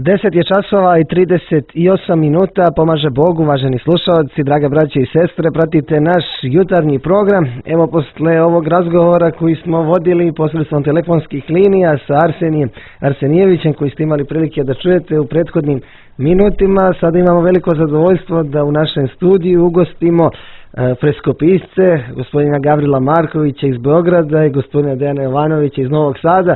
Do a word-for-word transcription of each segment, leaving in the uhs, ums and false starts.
Deset je časova i trideset osam minuta, pomaže Bog, uvaženi slušalci, draga braće i sestre, pratite naš jutarnji program. Evo, posle ovog razgovora koji smo vodili posredstvom telefonskih linija sa Arsenijem Arsenijevićem, koji ste imali prilike da čujete u prethodnim minutima, sada imamo veliko zadovoljstvo da u našem studiju ugostimo freskopisce, gospodina Gavrila Markovića iz Beograda i gospodina Dejana Jovanovića iz Novog Sada,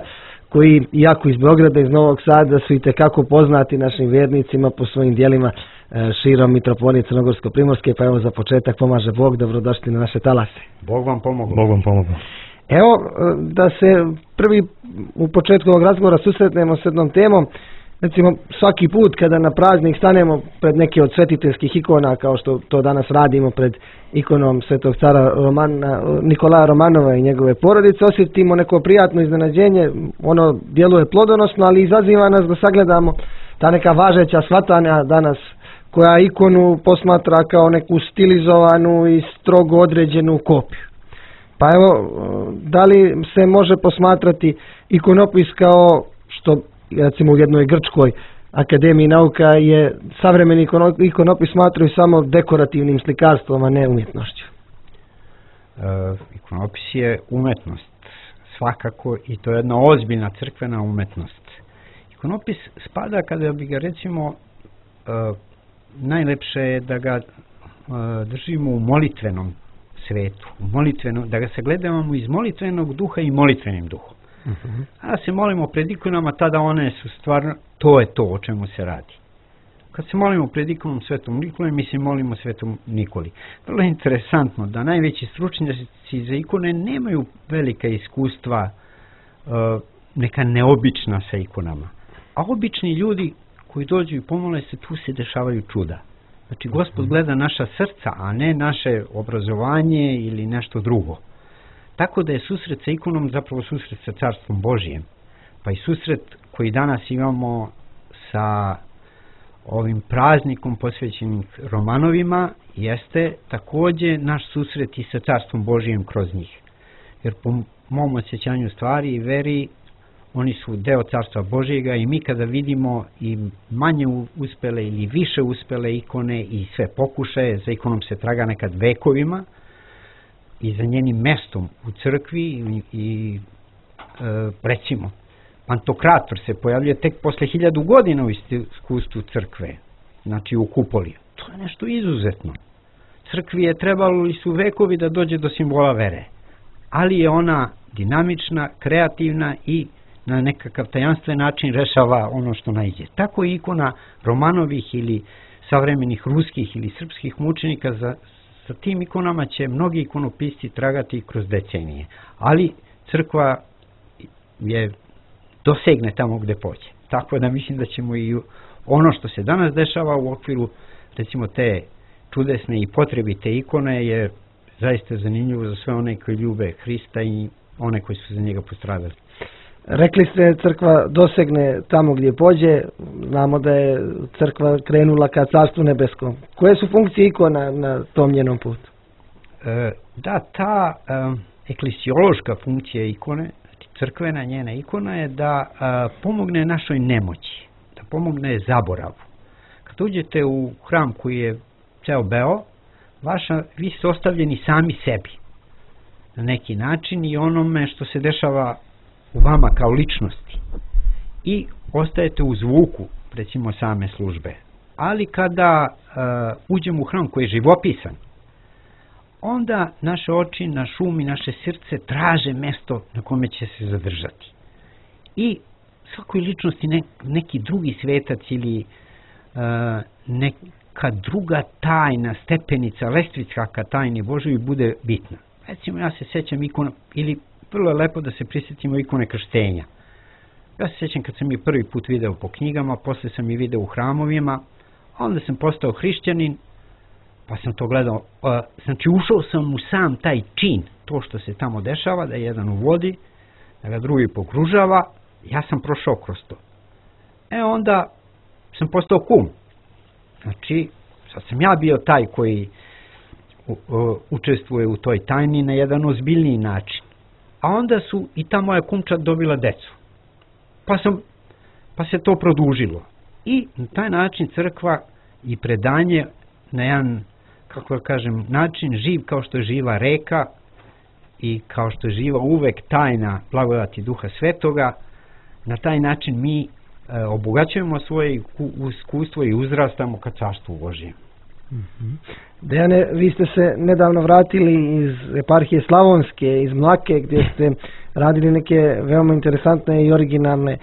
koji, iako iz Beograda i iz Novog Sada, su i tekako poznati našim vjernicima po svojim dijelima širom mitropolije Crnogorsko-Primorske. Pa evo, za početak, pomaže Bog, dobrodošli na naše talase. Bog vam pomogao. Bog vam pomogao. Evo, da se prvi u početku ovog razgovora susretnemo s jednom temom. Recimo, svaki put kada na praznik stanemo pred neke od svetiteljskih ikona, kao što to danas radimo pred ikonom svetog cara Romana, Nikolaja Romanova i njegove porodice, osjetimo neko prijatno iznenađenje. Ono djeluje plodonosno, ali izaziva nas da sagledamo ta neka važeća shvatanja danas, koja ikonu posmatra kao neku stilizovanu i strogo određenu kopiju. Pa evo, da li se može posmatrati ikonopis kao što, recimo, u jednoj grčkoj akademiji nauka je savremeni ikonopis smatraju samo dekorativnim slikarstvom, a ne umjetnošću? E, ikonopis je umetnost, svakako, i to je jedna ozbiljna crkvena umetnost. Ikonopis spada, kada bi ga, recimo, e, najlepše je da ga e, držimo u molitvenom svetu, u molitvenom, da ga sagledavamo iz molitvenog duha i molitvenim duhom. Uh-huh. A se molimo pred ikonama, tada one su stvarno, to je to o čemu se radi. Kad se molimo pred ikonom Svetom Nikoli, mi se molimo Svetom Nikoli. Vrlo je interesantno da najveći stručnjaci za ikone nemaju velika iskustva, neka neobična sa ikonama. A obični ljudi koji dođu i pomole se, tu se dešavaju čuda. Znači, Gospod gleda naša srca, a ne naše obrazovanje ili nešto drugo. Tako da je susret sa ikonom zapravo susret sa Carstvom Božijem. Pa i susret koji danas imamo sa ovim praznikom posvećenim Romanovima jeste također naš susret i sa Carstvom Božijem kroz njih. Jer po mom osjećanju stvari i veri, oni su deo Carstva Božijega i mi kada vidimo i manje uspele ili više uspele ikone i sve pokušaje, za ikonom se traga nekad vekovima, i za njenim mestom u crkvi i, i e, recimo Pantokrator se pojavljuje tek posle hiljadu godina u iskustvu crkve, znači u kupoli. To je nešto izuzetno. Crkvi je trebalo li su vekovi da dođe do simbola vere, ali je ona dinamična, kreativna i na nekakav tajanstven način rešava ono što naiđe. Tako je ikona Romanovih ili savremenih ruskih ili srpskih mučenika, za sa tim ikonama će mnogi ikonopisci tragati kroz decenije, ali crkva je dosegne tamo gde pođe. Tako da mislim da ćemo i ono što se danas dešava u okviru, recimo, te čudesne i potrebite ikone je zaista zanimljivo za sve one koji ljube Hrista i one koji su za njega postradali. Rekli ste, crkva dosegne tamo gdje pođe. Znamo da je crkva krenula ka Carstvu nebeskom. Koje su funkcije ikona na tom njenom putu? E, da, ta e, eklesiološka funkcija ikone, crkvena njena ikona, je da e, pomogne našoj nemoći, da pomogne zaboravu. Kad uđete u hram koji je ceo beo, vaša, vi ste ostavljeni sami sebi na neki način i onome što se dešava u vama kao ličnosti, i ostajete u zvuku, recimo, same službe. Ali kada uh, uđemo u hram koji je živopisan, onda naše oči, naš um i naše srce traže mesto na kome će se zadržati. I svakoj ličnosti ne, neki drugi svetac ili uh, neka druga tajna, stepenica, lestvica ka tajni Božoj bude bitna. Recimo, ja se sjećam ikona, ili vrlo je lepo da se prisjetimo ikone krštenja. Ja se sjećam kad sam je prvi put video po knjigama, posle sam i video u hramovima, onda sam postao hrišćanin, pa sam to gledao, uh, znači ušao sam u sam taj čin, to što se tamo dešava, da jedan uvodi, da ga drugi pokružava, ja sam prošao kroz to. E onda sam postao kum. Znači, sad sam ja bio taj koji u, u, učestvuje u toj tajni na jedan ozbiljniji način. A onda su i ta moja kumča dobila decu. Pa, sam, pa se to produžilo. i na taj način crkva i predanje na jedan, kako da kažem, način živ kao što je živa reka i kao što je živa uvek tajna blagodati Duha Svetoga. Na taj način mi e, obogaćujemo svoje iskustvo i uzrastamo ka Carstvu Božjem. Mm-hmm. Dejane, vi ste se nedavno vratili iz eparhije Slavonske, iz Mlake, gdje ste radili neke veoma interesantne i originalne e,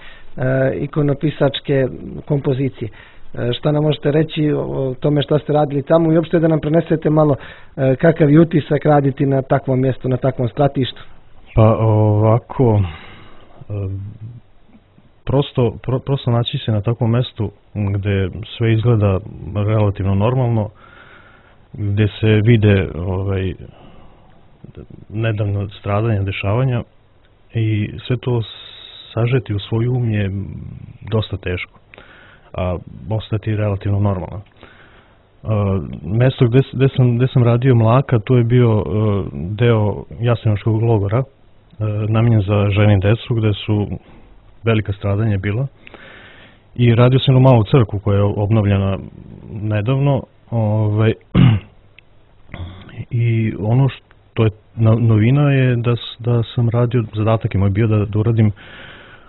ikonopisačke kompozicije. E, šta nam možete reći o tome šta ste radili tamo i uopšte da nam prenesete malo e, kakav je utisak raditi na takvom mjestu, na takvom stratištu? Pa ovako, e, prosto, pro, prosto naći se na takvom mjestu gdje sve izgleda relativno normalno, gdje se vide ovaj, nedavno stradanja, dešavanja i sve to sažeti u svoj um je dosta teško, a ostati relativno normalno. Uh, mesto gdje, gdje, sam, gdje sam radio Mlaka, to je bio uh, deo Jasenovačkog logora, uh, namijenjen za žene i decu, gdje su velika stradanja bila. I radio sam u malu crkvu koja je obnovljena nedavno. Ovaj, I ono što je novina je da, da sam radio, zadatak je moj bio da, da uradim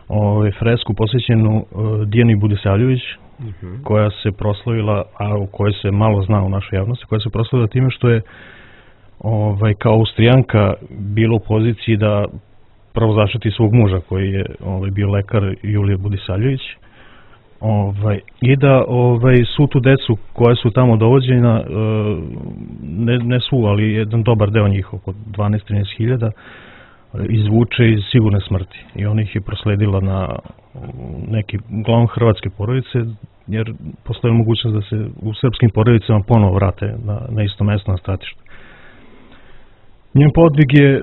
ovaj, fresku posvećenu uh, Dijani Budisavljević, uh-huh. koja se proslavila, a u kojoj se malo zna u našoj javnosti, koja se proslavila time što je ovaj, kao Austrijanka bila u poziciji da prvo zaštiti svog muža koji je ovaj, bio lekar Julije Budisavljević. Ovaj, i da ovaj, svu tu decu koja su tamo dovođena, ne, ne svu, ali jedan dobar deo njih, oko dvanaest do trinaest hiljada, izvuče iz sigurne smrti. I ona ih je prosledila na neki uglavnom hrvatske porodice, jer postoji mogućnost da se u srpskim porodicama ponovo vrate na, na isto mesto, na stratište. Njen podvig je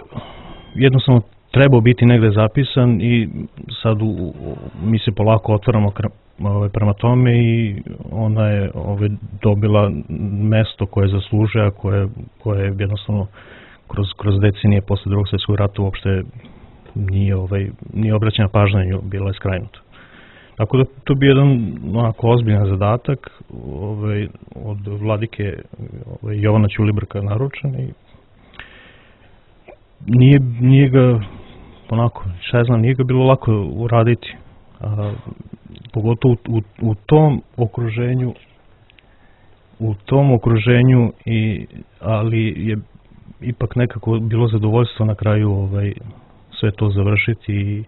jednostavno trebao biti negde zapisan i sad u, mi se polako otvaramo Ove, prema tome i ona je ove, dobila mesto koje zaslužuje, a koje, koje je jednostavno kroz, kroz decenije posle drugog svjetskog rata uopšte nije, ovaj, nije obraćena pažnja, bila je skrajnuta. Tako da to bi jedan onako ozbiljan zadatak ovaj, od vladike ovaj, Jovana Ćulibrka naručen i nije, nije ga onako, šta ja znam, nije ga bilo lako uraditi. A, pogotovo u, u, u tom okruženju u tom okruženju i, ali je ipak nekako bilo zadovoljstvo na kraju ovaj, sve to završiti i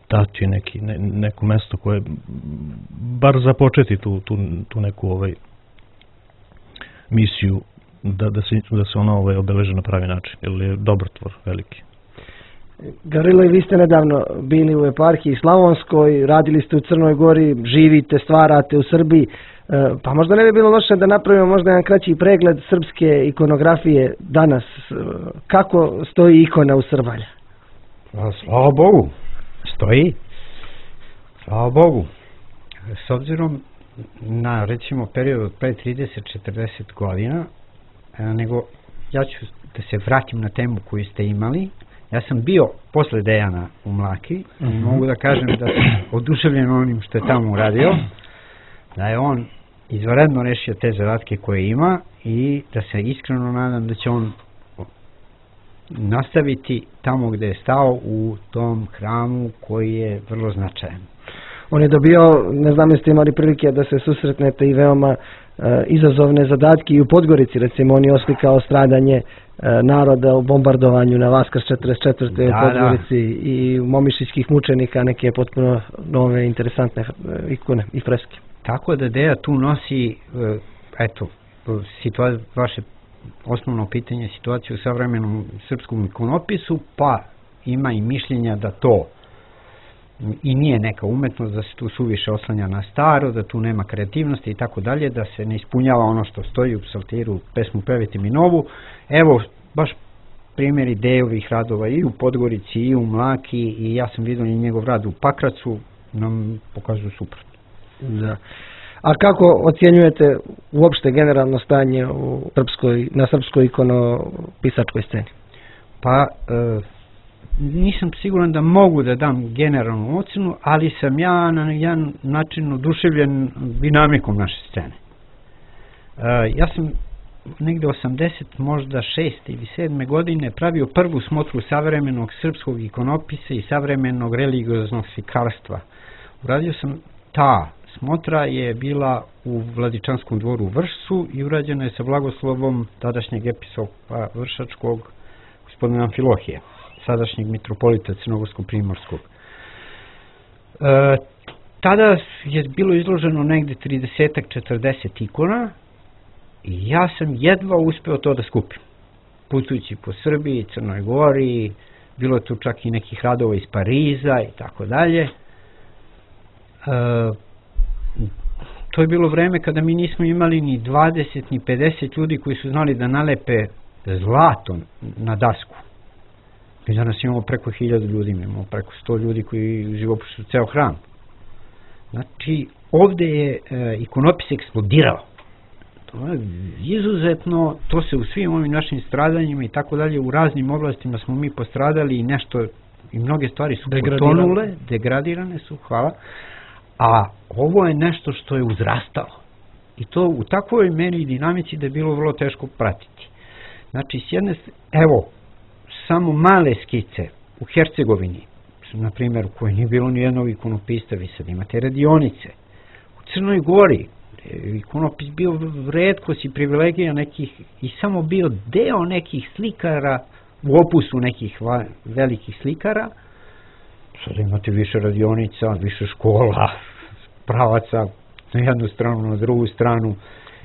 dati neki, ne, neko mesto koje bar započeti tu, tu, tu neku ovaj, misiju da, da, se, da se ona ovaj, obeleže na pravi način, jer je dobrotvor veliki. Gavrilo, i vi ste nedavno bili u eparhiji Slavonskoj, radili ste u Crnoj Gori, živite, stvarate u Srbiji, pa možda ne bi bilo loše da napravimo možda jedan kraći pregled srpske ikonografije danas. Kako stoji ikona u Srbalja? Slava Bogu, stoji. Slava Bogu. S obzirom na, recimo, period od pre trideset do četrdeset godina, nego ja ću da se vratim na temu koju ste imali. Ja sam bio posle Dejana u Mlaki i mm-hmm. mogu da kažem da sam oduševljen onim što je tamo uradio, da je on izvanredno rešio te zadatke koje ima i da se iskreno nadam da će on nastaviti tamo gde je stao u tom hramu koji je vrlo značajan. On je dobio, ne znam jeste imali prilike da se susretnete i veoma e, izazovne zadatke i u Podgorici, recimo on je oslikao stradanje e, naroda u bombardovanju na Vaskrs četrdeset četvrte Da, u Podgorici da. I u Momišićkih mučenika neke potpuno nove interesantne ikone i freske. Tako da Deja tu nosi, eto, situa- vaše osnovno pitanje, situaciju u savremenom srpskom ikonopisu, pa ima i mišljenja da to i nije neka umetnost, da se tu suviše oslanja na staro, da tu nema kreativnosti i tako dalje, da se ne ispunjava ono što stoji u psaltiru, pesmu Pevite mi novu. Evo, baš primjeri Dejovih radova i u Podgorici i u Mlaki, i ja sam vidio i njegov rad u Pakracu, nam pokazuju suprotno. Da. A kako ocjenjujete uopšte generalno stanje u srpskoj, na srpskoj ikonopisačkoj sceni? Pa, e, nisam siguran da mogu da dam generalnu ocenu, ali sam ja na jedan način oduševljen dinamikom naše scene. Uh, ja sam negde osamdeset, možda šest ili sedme godine pravio prvu smotru savremenog srpskog ikonopisa i savremenog religioznog slikarstva. Uradio sam, ta smotra je bila u Vladičanskom dvoru u Vršcu i urađena je sa blagoslovom tadašnjeg episkopa vršačkog gospodina Amfilohije, sadašnjeg mitropolita Crnogorsko-Primorskog. E, tada je bilo izloženo negde trideset četrdeset ikona i ja sam jedva uspeo to da skupim. Putujući po Srbiji, Crnoj Gori, bilo tu čak i nekih radova iz Pariza i tako dalje. To je bilo vreme kada mi nismo imali ni dvadeset ni pedeset ljudi koji su znali da nalepe zlato na dasku. Mi danas imamo preko hiljadu ljudi, imamo preko sto ljudi koji živopišu ceo hram. Znači, ovde je e, ikonopis eksplodirao. To je izuzetno, to se u svim ovim našim stradanjima i tako dalje, u raznim oblastima smo mi postradali i nešto, i mnoge stvari su potonule, degradirane su, hvala, a ovo je nešto što je uzrastalo. I to u takvoj meri i dinamici da je bilo vrlo teško pratiti. Znači, s jedne, evo, samo male skice u Hercegovini, na primjer, u kojoj nije bilo ni jednog ikonopista, vi sad imate radionice. U Crnoj Gori ikonopis bio retkost i privilegija nekih i samo bio deo nekih slikara u opusu nekih velikih slikara. Sada imate više radionica, više škola, pravaca na jednu stranu, na drugu stranu.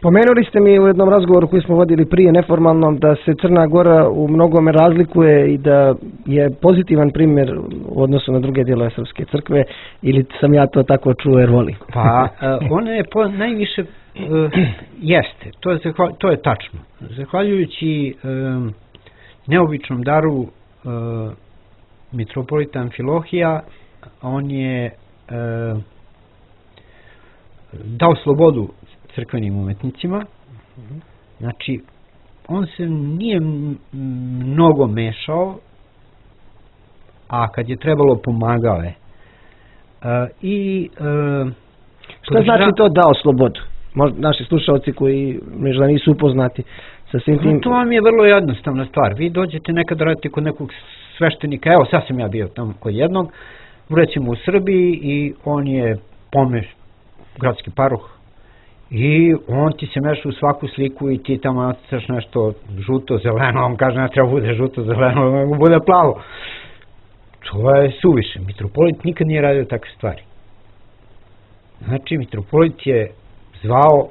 Pomenuli ste mi u jednom razgovoru koji smo vodili prije neformalnom da se Crna Gora u mnogome razlikuje i da je pozitivan primjer u odnosu na druge dijelove Srpske crkve, ili sam ja to tako čuo jer volim? Pa, ona je po, najviše uh, jeste, to je, to je tačno. Zahvaljujući um, neobičnom daru uh, mitropolita Amfilohija, on je uh, dao slobodu crkvenim umetnicima. Znači, on se nije mnogo mešao, a kad je trebalo pomagao je. E, i, e, Šta znači to dao slobodu? Možda naši slušalci koji možda nisu upoznati sa svim tim... To vam je vrlo jednostavna stvar. Vi dođete nekad raditi kod nekog sveštenika, evo sad sam ja bio tamo kod jednog, recimo u Srbiji, i on je pomeš gradski paroh, i on ti se meša u svaku sliku i ti tamo nacrtaš nešto žuto, zeleno, on kaže ne treba bude žuto, zeleno, nego bude plavo. To je suviše. Mitropolit nikad nije radio takve stvari. Znači, mitropolit je zvao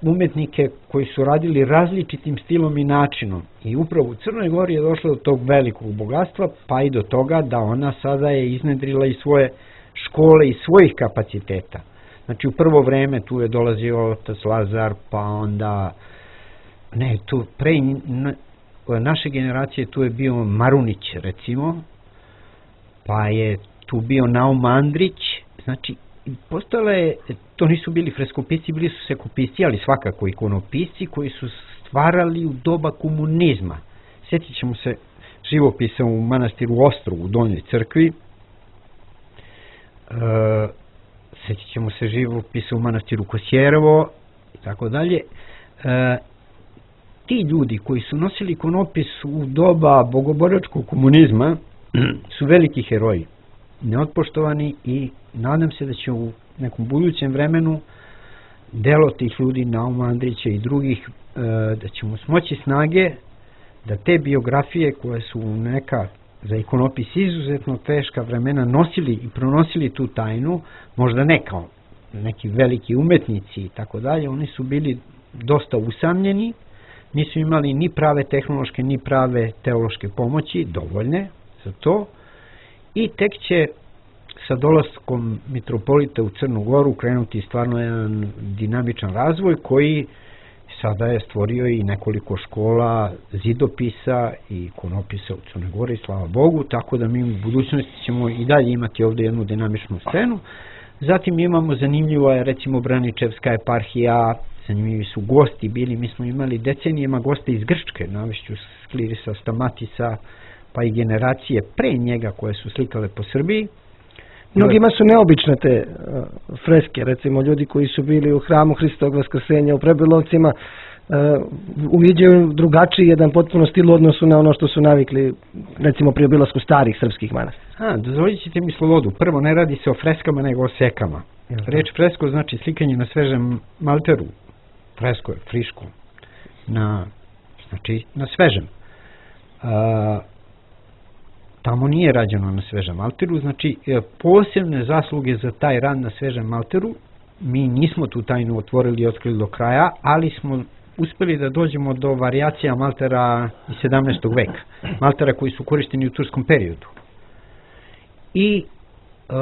umetnike koji su radili različitim stilom i načinom. I upravo u Crnoj Gori je došlo do tog velikog bogatstva, pa i do toga da ona sada je iznedrila i svoje škole i svojih kapaciteta. Znači, u prvo vreme tu je dolazio otac Lazar, pa onda, ne, tu pre naše generacije tu je bio Marunić, recimo, pa je tu bio Naum Andrić, znači, postala je, to nisu bili freskopisci, bili su sekopisci, ali svakako ikonopisci koji su stvarali u doba komunizma. Sjetit ćemo se živopisa u manastiru Ostro, u Donjoj crkvi, e, sjetit ćemo se živopisa u manastiru Kosjerevo i tako dalje. E, ti ljudi koji su nosili ikonopis u doba bogoboračkog komunizma su veliki heroji, neotpoštovani, i nadam se da će u nekom budućem vremenu delo tih ljudi, Nauma Andrića i drugih, e, da ćemo smoći snage da te biografije koje su neka za ikonopis izuzetno teška vremena nosili i pronosili tu tajnu, možda ne kao neki veliki umetnici i tako dalje, oni su bili dosta usamljeni, nisu imali ni prave tehnološke ni prave teološke pomoći, dovoljne za to, i tek će sa dolaskom mitropolita u Crnu Goru krenuti stvarno jedan dinamičan razvoj koji sada je stvorio i nekoliko škola zidopisa i ikonopisa u Crnoj Gori, slava Bogu, tako da mi u budućnosti ćemo i dalje imati ovdje jednu dinamičnu scenu. Zatim imamo, zanimljivo je recimo Braničevska eparhija, zanimljivi su gosti bili, mi smo imali decenijama goste iz Grčke, navešću Sklirisa Stamatisa, pa i generacije pre njega koje su slikale po Srbiji. Mnogima su neobične te uh, freske, recimo ljudi koji su bili u hramu Hristovog Vaskrsenja u Prebilovcima uh, uviđaju drugačiji jedan potpuno stil u odnosu na ono što su navikli, recimo pri obilasku starih srpskih manastira. A, dozvolit ćete mi slobodu. Prvo, ne radi se o freskama, nego o sekama. Reč fresko znači slikanje na svežem malteru. Fresko je, friško. Na, znači, na svežem. A, tamo nije rađeno na svežem malteru, znači posebne zasluge za taj rad na svežem malteru. Mi nismo tu tajnu otvorili i otkrili do kraja, ali smo uspeli da dođemo do varijacija maltera iz sedamnaestog veka. Maltera koji su korišteni u turskom periodu. I e,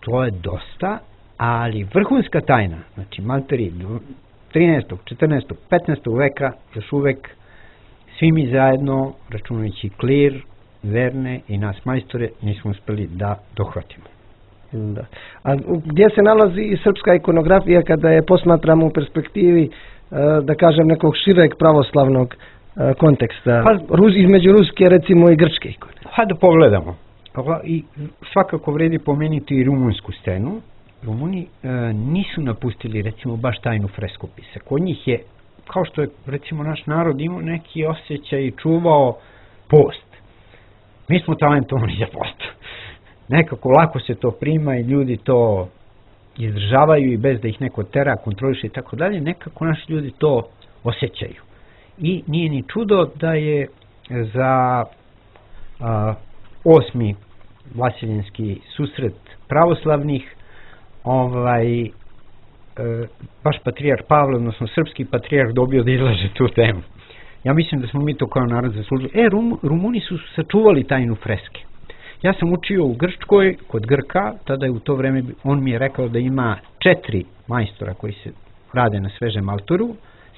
to je dosta, ali vrhunska tajna, znači malteri trinaestog, četrnaestog, petnaestog veka, još uvek svi mi zajedno, računajući Klir, Verne i nas majstore, nismo uspeli da dohvatimo. Da. A gdje se nalazi i srpska ikonografija kada je posmatramo u perspektivi, da kažem, nekog šireg pravoslavnog konteksta, pa, između ruske, recimo, i grčke ikone? Hajde da pogledamo. I svakako vredi pomenuti i rumunsku scenu. Rumuni e, nisu napustili, recimo, baš tajnu freskopisa. Kod njih je, kao što je, recimo, naš narod imao neki osjećaj i čuvao post. Mi smo talentovani za post. Nekako lako se to prima i ljudi to izdržavaju i bez da ih neko tera, kontroliše i tako dalje, nekako naši ljudi to osjećaju. I nije ni čudo da je za a, osmi vasiljenski susret pravoslavnih ovaj, e, baš patrijarh Pavle, odnosno srpski patrijarh, dobio da izlaže tu temu. Ja mislim da smo mi to kao narod zaslužili. E, Rum, Rumuni su sačuvali tajnu freske. Ja sam učio u Grčkoj, kod Grka, tada je u to vreme, on mi je rekao da ima četiri majstora koji se rade na svežem maltoru,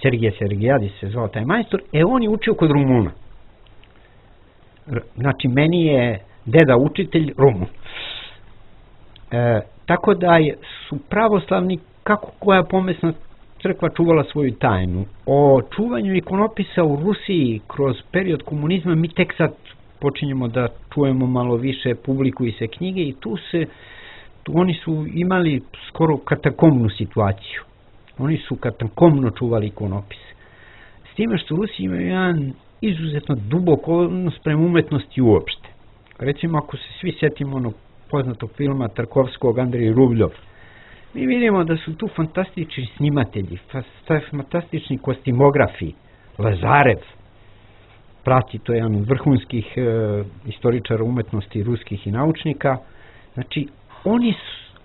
Sergije Sergijadis se zvao taj majstor, e on je učio kod Rumuna. Znači, meni je deda učitelj Rumun. E, tako da je, su pravoslavni, kako koja pomesna crkva čuvala svoju tajnu. O čuvanju ikonopisa u Rusiji kroz period komunizma mi tek sad počinjemo da čujemo malo više, publikuju se knjige i tu se, tu oni su imali skoro katakomnu situaciju. Oni su katakomno čuvali ikonopise. S time što Rusi imaju jedan izuzetno dubok odnos prema umetnosti uopšte. Recimo, ako se svi sjetimo onog poznatog filma Tarkovskog Andrej Rubljov, mi vidimo da su tu fantastični snimatelji, fantastični kostimografi, Lazarev, prati, to je jedan od vrhunskih e, istoričara umetnosti, ruskih i naučnika. Znači, oni,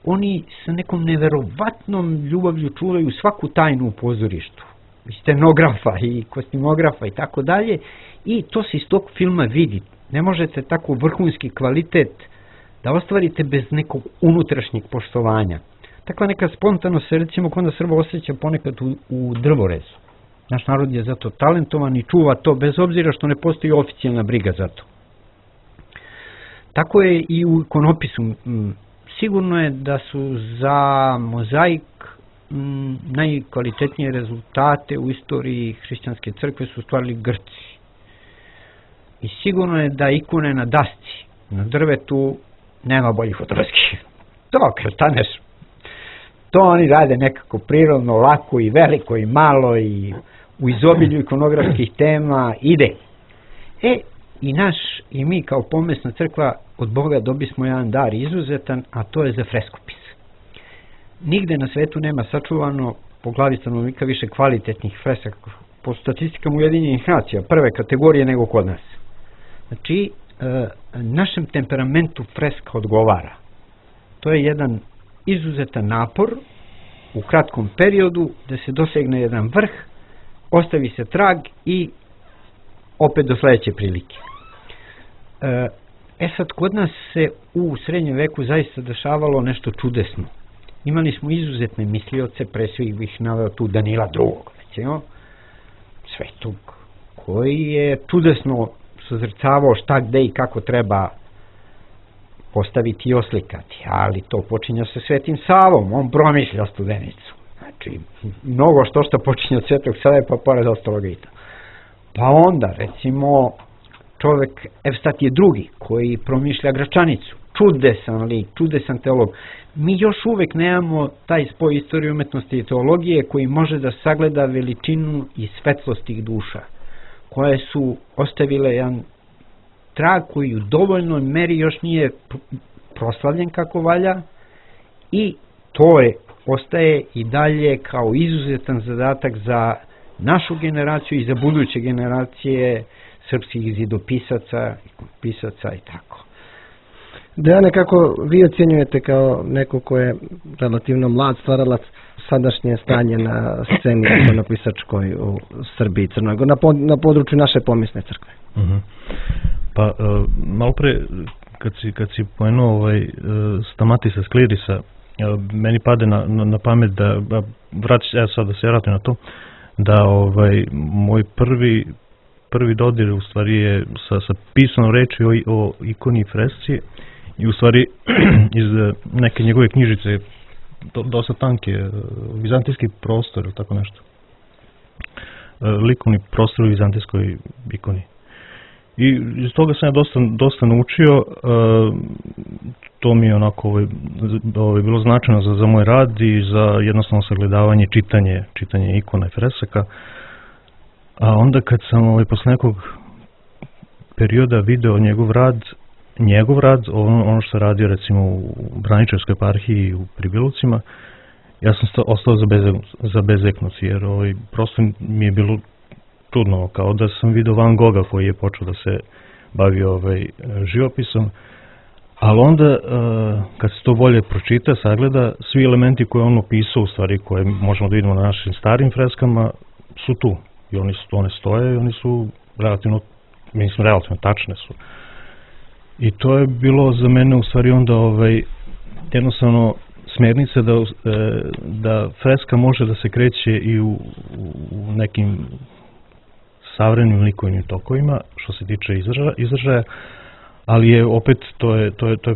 oni sa nekom neverovatnom ljubavlju čuvaju svaku tajnu u pozorištu. I scenografa i kostimografa i tako dalje. I to se iz tog filma vidi. Ne možete tako vrhunski kvalitet da ostvarite bez nekog unutrašnjeg poštovanja. Takva neka spontano se, recimo, kod nas Srba osjeća ponekad u, u drvorezu. Naš narod je zato talentovan i čuva to bez obzira što ne postoji oficijalna briga za to. Tako je i u ikonopisu. Sigurno je da su za mozaik m, najkvalitetnije rezultate u istoriji hrišćanske crkve su stvarili Grci. I sigurno je da ikone na dasci, na drvetu, nema boljih od ruskih. To kad staneš, to oni rade nekako prirodno, lako i veliko i malo i u izobilju ikonografskih tema ide. E, i naš, i mi kao pomesna crkva od Boga dobismo jedan dar izuzetan, a to je za freskopis. Nigde na svetu nema sačuvano po glavi stanovnika više kvalitetnih fresaka po statistikama Ujedinjenih nacija, prve kategorije nego kod nas. Znači, e, našem temperamentu freska odgovara. To je jedan izuzetan napor u kratkom periodu da se dosegne jedan vrh, ostavi se trag i opet do sledeće prilike. E sad, kod nas se u srednjem veku zaista dešavalo nešto čudesno. Imali smo izuzetne mislioce, pre svih bih naveo tu Danila drugog, recimo, svetog, koji je čudesno sozrcavao šta, gde i kako treba postaviti i oslikati, ali to počinje sa Svetim Savom, on promišlja Studenicu. Znači, mnogo što što počinje od Svetog Save, pa pored ostaloga i to. Pa onda, recimo, čovek Evstatije drugi, koji promišlja Gračanicu. Čudesan lik, čudesan teolog. Mi još uvek nemamo taj spoj istorije umetnosti i teologije koji može da sagleda veličinu i svetlost tih duša, koje su ostavile jedan trag koji u dovoljnoj meri još nije proslavljen kako valja, i to je, ostaje i dalje kao izuzetan zadatak za našu generaciju i za buduće generacije srpskih zidopisaca, pisaca i tako. Dejane, kako vi ocjenjujete kao neko ko je relativno mlad stvaralac sadašnje stanje na sceni ikonopisačkoj u Srbiji, Crnoj Gori, na, pod, na području naše pomisne crkve? Uh-huh. Pa, uh, malo pre, kad si, kad si pomenuo ovaj, uh, Stamatisa Sklirisa, uh, meni pade na, na, na pamet da, da vraći, evo sad da se vratim na to, da ovaj, moj prvi, prvi dodir u stvari je sa, sa pisanom reči o, o ikoni i fresci, i u stvari iz neke njegove knjižice, do, dosta tanke, vizantijski prostor ili tako nešto. Likovni prostor u vizantijskoj ikoni. I iz toga sam ja dosta, dosta naučio, to mi je onako ovaj, ovaj, bilo značajno za, za moj rad i za jednostavno sagledavanje, čitanje, čitanje ikona i fresaka. A onda kad sam ovaj, posle nekog perioda video njegov rad, njegov rad, ono, ono što je radio recimo u Braničevskoj eparhiji u Pribilovcima, ja sam sta, ostao zabezeknut, jer ovaj, prosto mi je bilo čudno, kao da sam video Van Gogha koji je počeo da se bavi ovaj, živopisom, ali onda uh, kad se to bolje pročita, sagleda, svi elementi koje on opisao, u stvari koje možemo da vidimo na našim starim freskama, su tu i oni su, one stoje i oni su relativno, mislim, relativno tačne su. I to je bilo za mene u stvari onda ovaj, jednostavno smjernica da, da freska može da se kreće i u, u nekim savremenim likovnim tokovima što se tiče izražaja, izražaja, ali je opet to je, to je, to je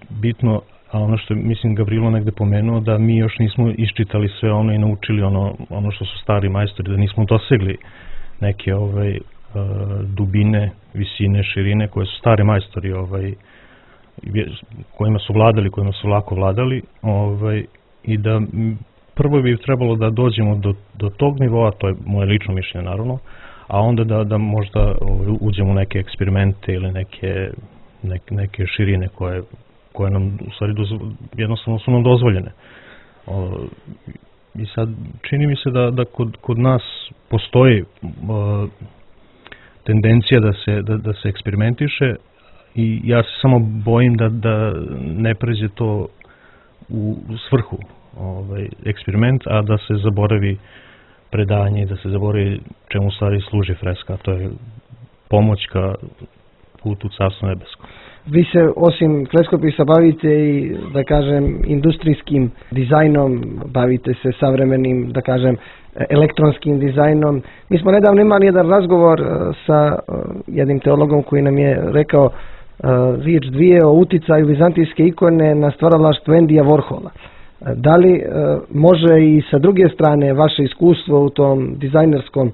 bitno, a ono što mislim Gavrilo negde pomenuo, da mi još nismo iščitali sve ono i naučili ono, ono što su stari majstori, da nismo dosegli neke ovaj, dubine, visine, širine koje su stari majstori ovaj, kojima su vladali, kojima su lako vladali, ovaj, i da prvo bi trebalo da dođemo do, do tog nivoa, to je moje lično mišljenje naravno, a onda da, da možda ovaj, uđemo u neke eksperimente ili neke, neke, neke širine koje, koje nam u stvari dozvo, jednostavno su nam dozvoljene. O, I sad čini mi se da, da kod, kod nas postoji o, tendencija da se, da, da se eksperimentiše i ja se samo bojim da, da ne pređe to u svrhu ovaj, eksperiment, a da se zaboravi predanje, da se zaboravi čemu u stvari služi freska, to je pomoć ka putu Carstva nebeskog. Vi se osim freskopisa bavite i, da kažem, industrijskim dizajnom, bavite se savremenim, da kažem, elektronskim dizajnom. Mi smo nedavno imali jedan razgovor sa jednim teologom koji nam je rekao riječ dvije o uticaju vizantijske ikone na stvaralaštvo Endija Warhola. Da li može i sa druge strane vaše iskustvo u tom dizajnerskom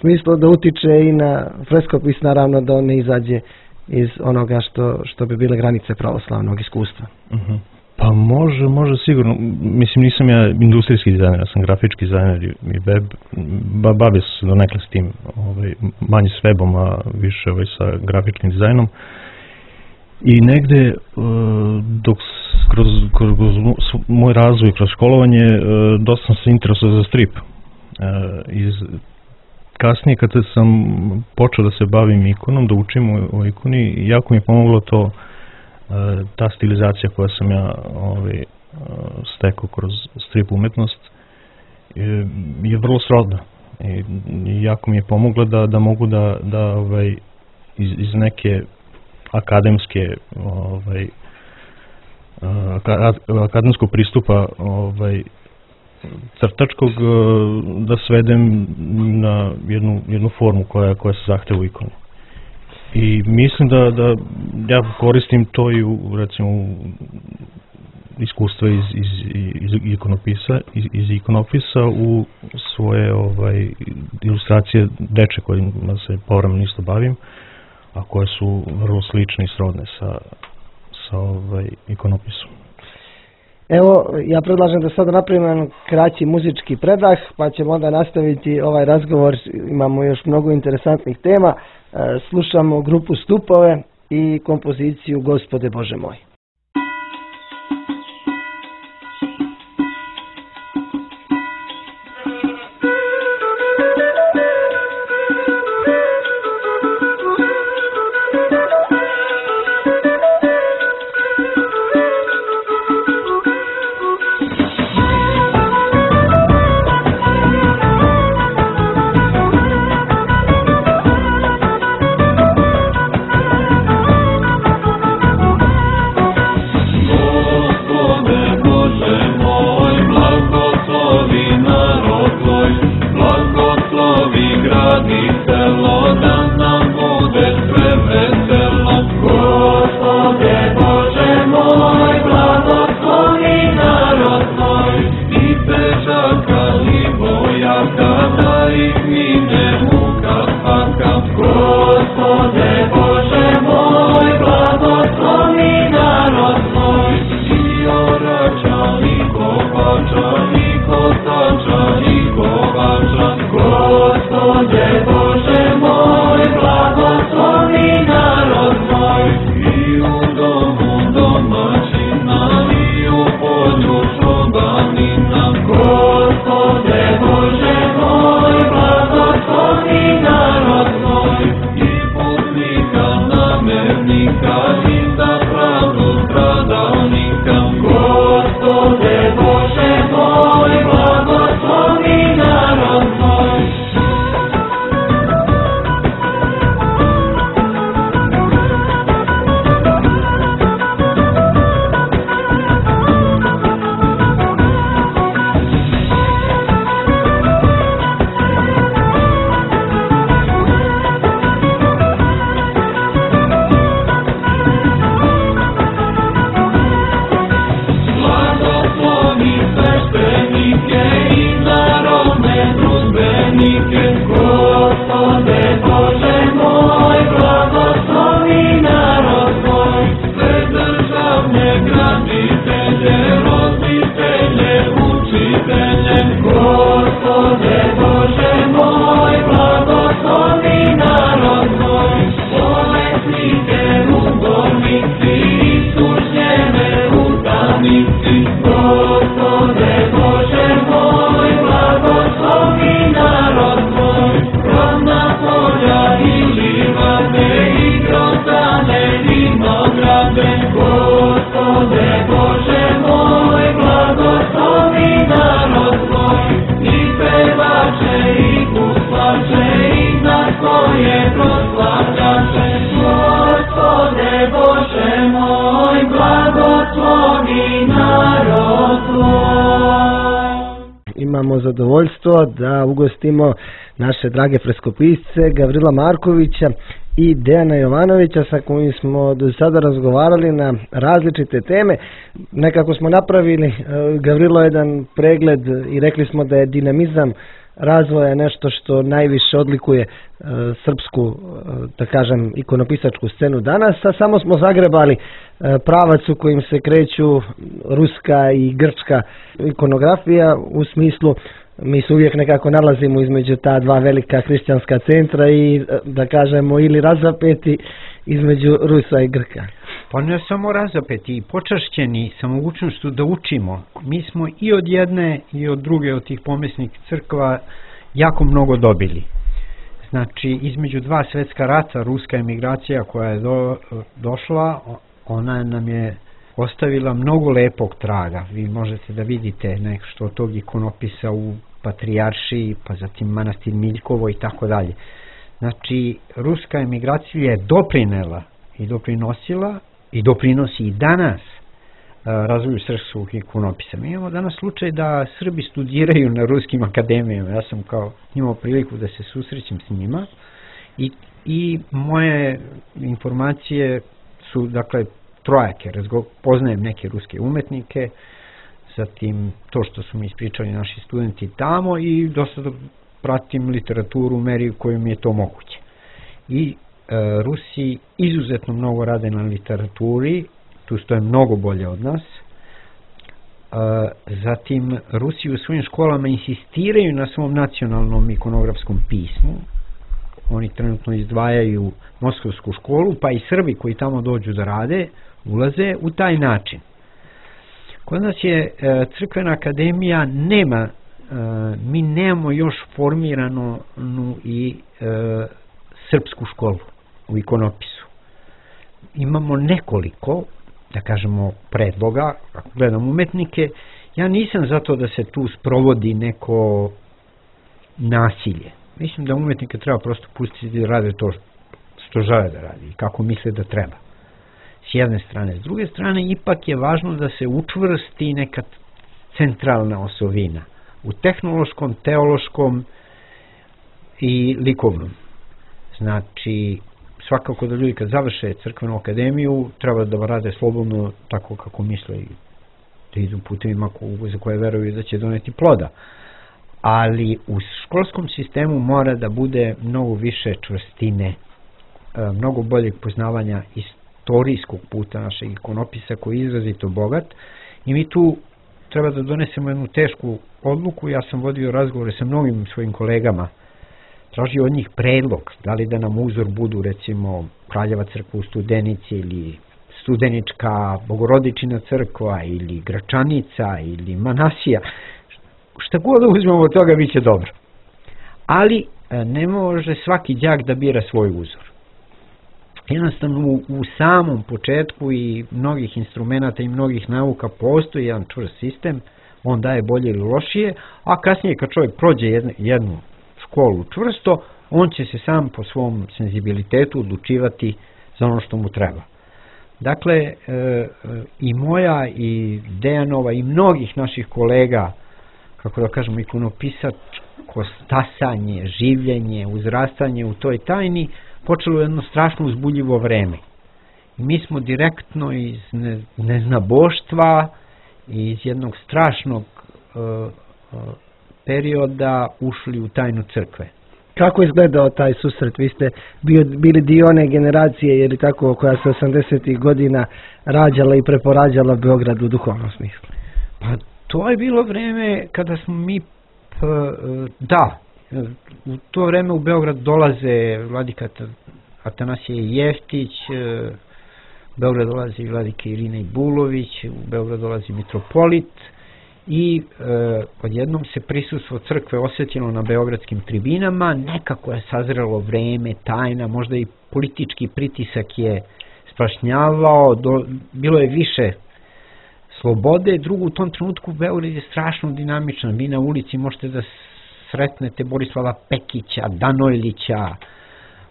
smislu da utiče i na freskopis, naravno da on ne izađe iz onoga što, što bi bile granice pravoslavnog iskustva? Uh-huh. Pa može, može sigurno. Mislim, nisam ja industrijski dizajner, ja sam grafički dizajner i web, ba, bavio se donekle s tim, ovaj, manje s webom, a više ovaj, sa grafičkim dizajnom. I negde, dok kroz, kroz, kroz moj razvoj, kroz školovanje, dosta sam se interesovao za strip. Iz, kasnije, kada sam počeo da se bavim ikonom, da učim o, o ikoni, jako mi je pomoglo to, ta stilizacija koja sam ja ovaj, stekao kroz strip umetnost, je, je vrlo srodna. I, i jako mi je pomoglo da, da mogu da, da ovaj, iz, iz neke akademske ovaj, akademskog pristupa ovaj, crtačkog da svedem na jednu, jednu formu koja, koja se zahteva u ikoni. I mislim da, da ja koristim to i u, recimo, iskustva iz, iz, iz ikonopisa, iz, iz ikonopisa u svoje ovaj, ilustracije deče kojima se povremeno isto bavim, a koje su vrlo slične i srodne sa, sa ovaj, ikonopisom. Evo, ja predlažem da sada napravimo jedan kraći muzički predah, pa ćemo onda nastaviti ovaj razgovor. Imamo još mnogo interesantnih tema. Slušamo grupu Stupove i kompoziciju Gospode Bože moj. Imamo zadovoljstvo da ugostimo naše drage freskopisce Gavrila Markovića i Dejana Jovanovića sa kojim smo do sada razgovarali na različite teme. Nekako smo napravili, Gavrilo, jedan pregled i rekli smo da je dinamizam razvoja nešto što najviše odlikuje e, srpsku, e, da kažem, ikonopisačku scenu danas, a samo smo zagrebali e, pravac u kojim se kreću ruska i grčka ikonografija, u smislu mi se uvijek nekako nalazimo između ta dva velika hrišćanska centra i, da kažemo, ili razapeti između Rusa i Grka. Pa ne samo razapeti, i počašćeni sa mogućnošću da učimo. Mi smo i od jedne i od druge od tih pomesnih crkva jako mnogo dobili. Znači, između dva svetska rata, ruska emigracija koja je do, došla, ona nam je ostavila mnogo lepog traga. Vi možete da vidite nešto od tog ikonopisa u Patrijaršiji, pa zatim manastir Miljkovo i tako dalje. Znači, ruska emigracija je doprinela i doprinosila i doprinosi i danas razvoju srpskog ikonopisa. Mi imamo danas slučaj da Srbi studiraju na ruskim akademijama. Ja sam kao imao priliku da se susrećem s njima i, i moje informacije su, dakle, trojake, razgo, poznajem neke ruske umetnike, zatim to što su mi ispričali naši studenti tamo i dosta pratim literaturu u meri u kojoj mi je to moguće. I e, Rusi izuzetno mnogo rade na literaturi, tu stoje mnogo bolje od nas. E, zatim Rusi u svojim školama insistiraju na svom nacionalnom ikonografskom pismu. Oni trenutno izdvajaju Moskovsku školu, pa i Srbi koji tamo dođu da rade, ulaze u taj način. Kod nas je e, crkvena akademija nema, e, mi nemamo još formiranu i e, srpsku školu u ikonopisu. Imamo nekoliko, da kažemo, predloga, ako gledam umetnike, ja nisam zato da se tu sprovodi neko nasilje. Mislim da umetnike treba prosto pustiti da rade to što žele da radi i kako misle da treba. S jedne strane. S druge strane, ipak je važno da se učvrsti neka centralna osovina u tehnološkom, teološkom i likovnom. Znači, svakako da ljudi kad završe crkvenu akademiju treba da rade slobodno tako kako misle i da idu putevima za koje veruju da će doneti ploda. Ali u školskom sistemu mora da bude mnogo više čvrstine, mnogo boljeg poznavanja istorijskog puta našeg ikonopisa koji je izrazito bogat i mi tu treba da donesemo jednu tešku odluku. Ja sam vodio razgovore sa mnogim svojim kolegama, tražio od njih predlog, da li da nam uzor budu recimo Kraljeva crkva u Studenici ili Studenička Bogorodičina crkva ili Gračanica ili Manasija. Šta god da uzmemo od toga bit će dobro. Ali ne može svaki đak da bira svoj uzor. Jednostavno u, u samom početku i mnogih instrumenata i mnogih nauka postoji jedan čvrst sistem, on daje bolje ili lošije, a kasnije kad čovjek prođe jednu, jednu školu čvrsto, on će se sam po svom senzibilitetu odlučivati za ono što mu treba. Dakle, e, i moja i Dejanova i mnogih naših kolega, kako da kažemo, ikonopisačko stasanje, življenje, uzrastanje u toj tajni počelo jedno strašno uzbudljivo vreme. I mi smo direktno iz ne, neznaboštva i iz jednog strašnog uh, uh, perioda ušli u tajnu crkve. Kako je izgledao taj susret? Vi ste bio, bili dio one generacije, je li tako, koja se osamdesetih godina rađala i preporađala Beograd u duhovnom smislu? Pa to je bilo vreme kada smo mi, p, da, u to vreme u Beograd dolaze vladika Atanasije Jeftić, u Beograd dolazi vladika Irina Ibulović, u Beograd dolazi mitropolit i e, odjednom se prisustvo crkve osjetilo na beogradskim tribinama, nekako je sazrelo vreme, tajna, možda i politički pritisak je sprašnjavao, do, bilo je više slobode. Drugo, u tom trenutku Beograd je strašno dinamičan, vi na ulici možete da sretnete Borislava Pekića, Danojlića,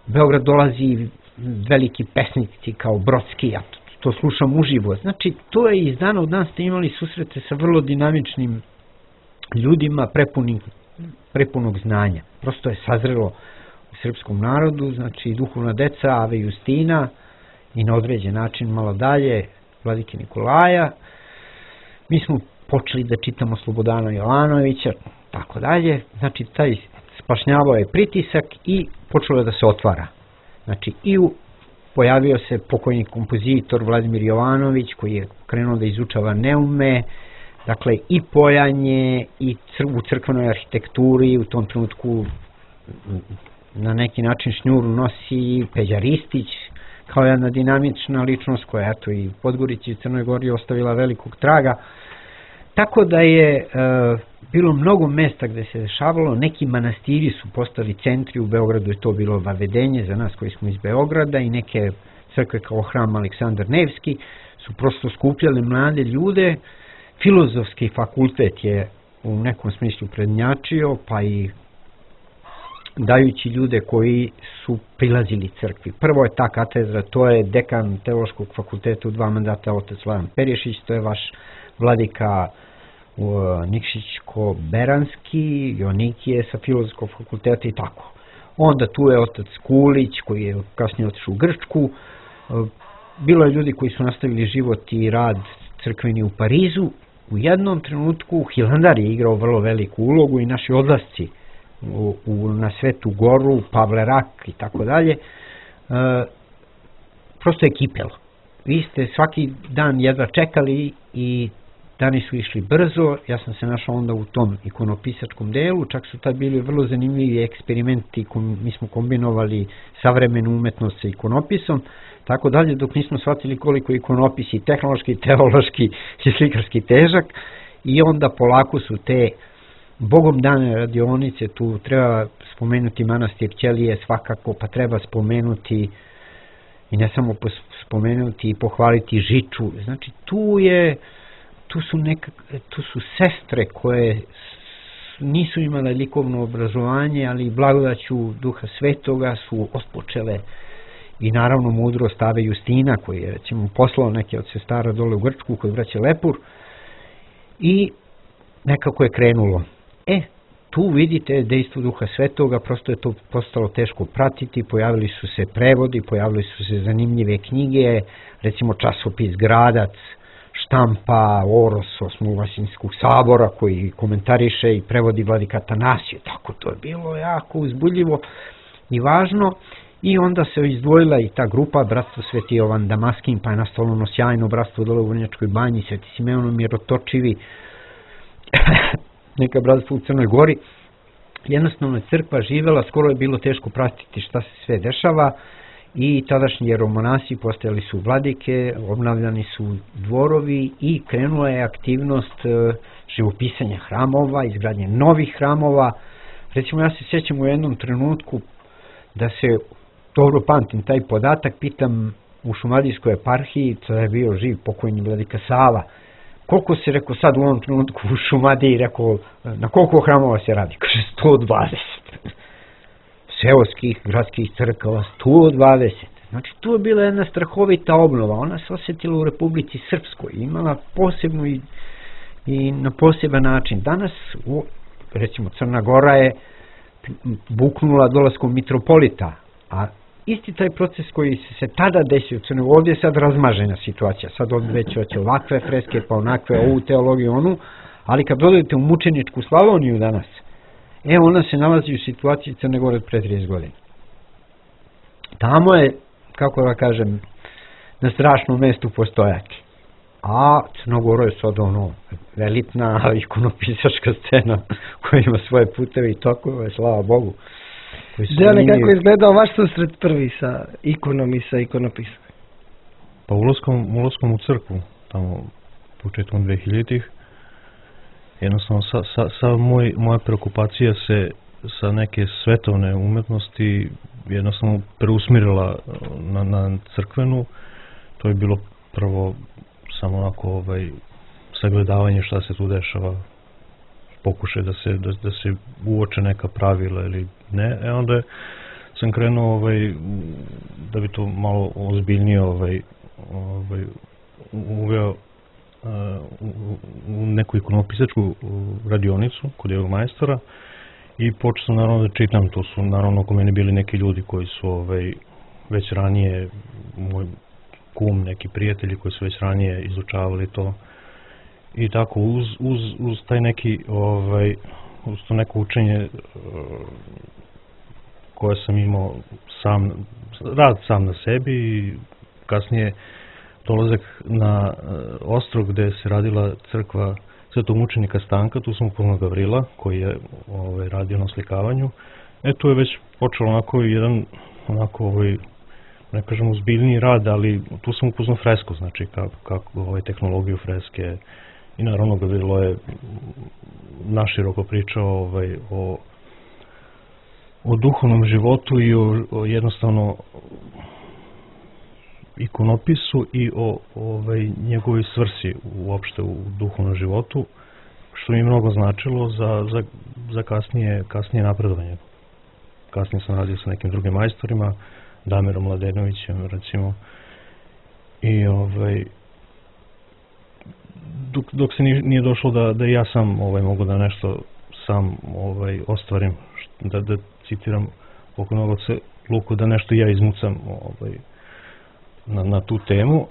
Beograd dolazi veliki pesnici kao Brodski, ja to, to slušam uživo. Znači, to je iz dana u dan ste imali susrete sa vrlo dinamičnim ljudima prepunim, prepunog znanja. Prosto je sazrelo u srpskom narodu, znači duhovna deca Ave Justina i na određen način malo dalje vladike Nikolaja. Mi smo počeli da čitamo Slobodana Jovanovića, tako dalje. Znači, taj spašnjavao je pritisak i počelo je da se otvara. Znači, i u, pojavio se pokojni kompozitor Vladimir Jovanović, koji je krenuo da izučava neume, dakle, i pojanje, i cr u crkvenoj arhitekturi, u tom trenutku na neki način šnjuru nosi Peđa Ristić, kao jedna dinamična ličnost koja, eto, i u Podgorici i Crnoj Gori ostavila velikog traga. Tako da je e, bilo mnogo mesta gde se dešavalo, neki manastiri su postali centri, u Beogradu je to bilo vavedenje za nas koji smo iz Beograda i neke crkve kao hram Aleksandar Nevski su prosto skupljali mlade ljude. Filozofski fakultet je u nekom smislu prednjačio, pa i dajući ljude koji su prilazili crkvi. Prvo je ta katedra, to je dekan Teološkog fakulteta u dva mandata, otac Slavan Perješić, to je vaš vladika Nikšićko-Beranski, Jonikije sa Filozofskog fakulteta i tako. Onda tu je otac Kulić koji je kasnije otišao u Grčku. bilo je ljudi koji su nastavili život i rad crkveni u Parizu. U jednom trenutku Hilandar je igrao vrlo veliku ulogu i naši odlasci u, u, na Svetu Goru, Pavle Rak i tako dalje, prosto je kipelo. Vi ste svaki dan jedva čekali i dani su išli brzo. Ja sam se našao onda u tom ikonopisačkom delu, čak su tad bili vrlo zanimljivi eksperimenti, mi smo kombinovali savremenu umetnost sa ikonopisom, tako dalje, dok nismo shvatili koliko ikonopis i tehnološki, teološki i slikarski težak, i onda polako su te Bogom dane radionice, tu treba spomenuti manastir Ćelije svakako, pa treba spomenuti i ne samo spomenuti i pohvaliti Žiču. Znači tu je tu su, neka, tu su sestre koje nisu imale likovno obrazovanje, ali blagodaću Duha Svetoga su otpočele, i naravno mudrost Ave Justina, koji je recimo poslao neke od sestara dole u Grčku kod braće Lepur, i nekako je krenulo. E, tu vidite dejstvo Duha Svetoga, prosto je to postalo teško pratiti, pojavili su se prevodi, pojavili su se zanimljive knjige, recimo časopis Gradac štampa Oros Osmovasinskog sabora koji komentariše i prevodi vladika Atanasije, tako to je bilo jako uzbudljivo i važno. I onda se izdvojila i ta grupa Bratstvo Sveti Jovan Damaskin, pa je nastalo ono sjajno bratstvo dole u Vrnjačkoj banji, Sveti Simeon Mirotočivi, neka bratstvo u Crnoj Gori. Jednostavno je crkva živela, skoro je bilo teško pratiti šta se sve dešava, i tadašnji jeromonasi postajali su vladike, obnavljani su dvorovi i krenula je aktivnost živopisanja hramova, izgradnje novih hramova. Recimo, ja se sjećam u jednom trenutku da se, dobro pamtim taj podatak, pitam u Šumadijskoj eparhiji, to je bio živ pokojni vladika Sava, koliko se, rekao, sad u ovom trenutku u Šumadiji, rekao, na koliko hramova se radi? Kaže, sto dvadeset. Seoskih, gradskih crkava, sto dvadeset. Znači, tu je bila jedna strahovita obnova. Ona se osjetila u Republici Srpskoj, imala posebnu i, i na poseban način. Danas, u, recimo, Crna Gora je buknula dolaskom mitropolita, a isti taj proces koji se, se tada desio u Crnoj Gori, ovdje je sad razmažena situacija. Sad ovdje već hoće ovakve freske, pa onakve, ovu teologiju, onu, ali kad dodajete u mučeničku Slavoniju danas, e, ona se nalazi u situaciji Crne Gore od pre trideset godina. Tamo je, kako da kažem, na strašnom mestu postojaki. A Crnogoro je sad ono elitna ikonopisačka scena koja ima svoje puteve i tokove, slava Bogu. Dejane, kako je izgledao vaš susret prvi sa ikonom i sa ikonopisom? Pa ulaskom, ulaskom u crkvu, tamo početkom dvehiljaditih, jednostavno sa, sa, sa moj, moja preokupacija se sa neke svetovne umetnosti jednostavno preusmirila na, na crkvenu. To je bilo prvo samo onako ovaj, sagledavanje šta se tu dešava, pokušaj da se, da, da se uoče neka pravila ili ne. E onda sam krenuo ovaj, da bi to malo ozbiljnije ovaj, ovaj, uveo u neku ikonopisačku radionicu kod jednog majstora i počeo sam naravno da čitam. To su naravno oko mene bili neki ljudi koji su ovaj, već ranije, moj kum, neki prijatelji koji su već ranije izučavali to, i tako uz, uz, uz taj neki ovaj, uz to neko učenje koje sam imao sam, rad sam na sebi, i kasnije dolazak na ostrog gde se radila crkva Svetog mučenika Stanka, tu sam upoznao Gavrila koji je ovaj, radio na oslikavanju. E, tu je već počelo onako jedan, onako ovaj, ne kažem uzbiljniji rad, ali tu sam upoznao fresku, znači kako, kako ovaj, tehnologiju freske, i naravno Gavrilo je naširoko pričao ovaj, o, o duhovnom životu i o, o jednostavno ikonopisu i o ovaj, njegovoj svrsi uopšte u duhovnom životu, što mi mnogo značilo za, za, za kasnije, kasnije napredovanje. Kasnije sam radio sa nekim drugim majstorima, Damirom Mladenovićem recimo, i ovaj, dok, dok se nije došlo da, da ja sam ovaj, mogu da nešto sam ovaj, ostvarim, da, da citiram pokojnog oca Luku, da nešto ja izmucam ovaj, na, na tu temu,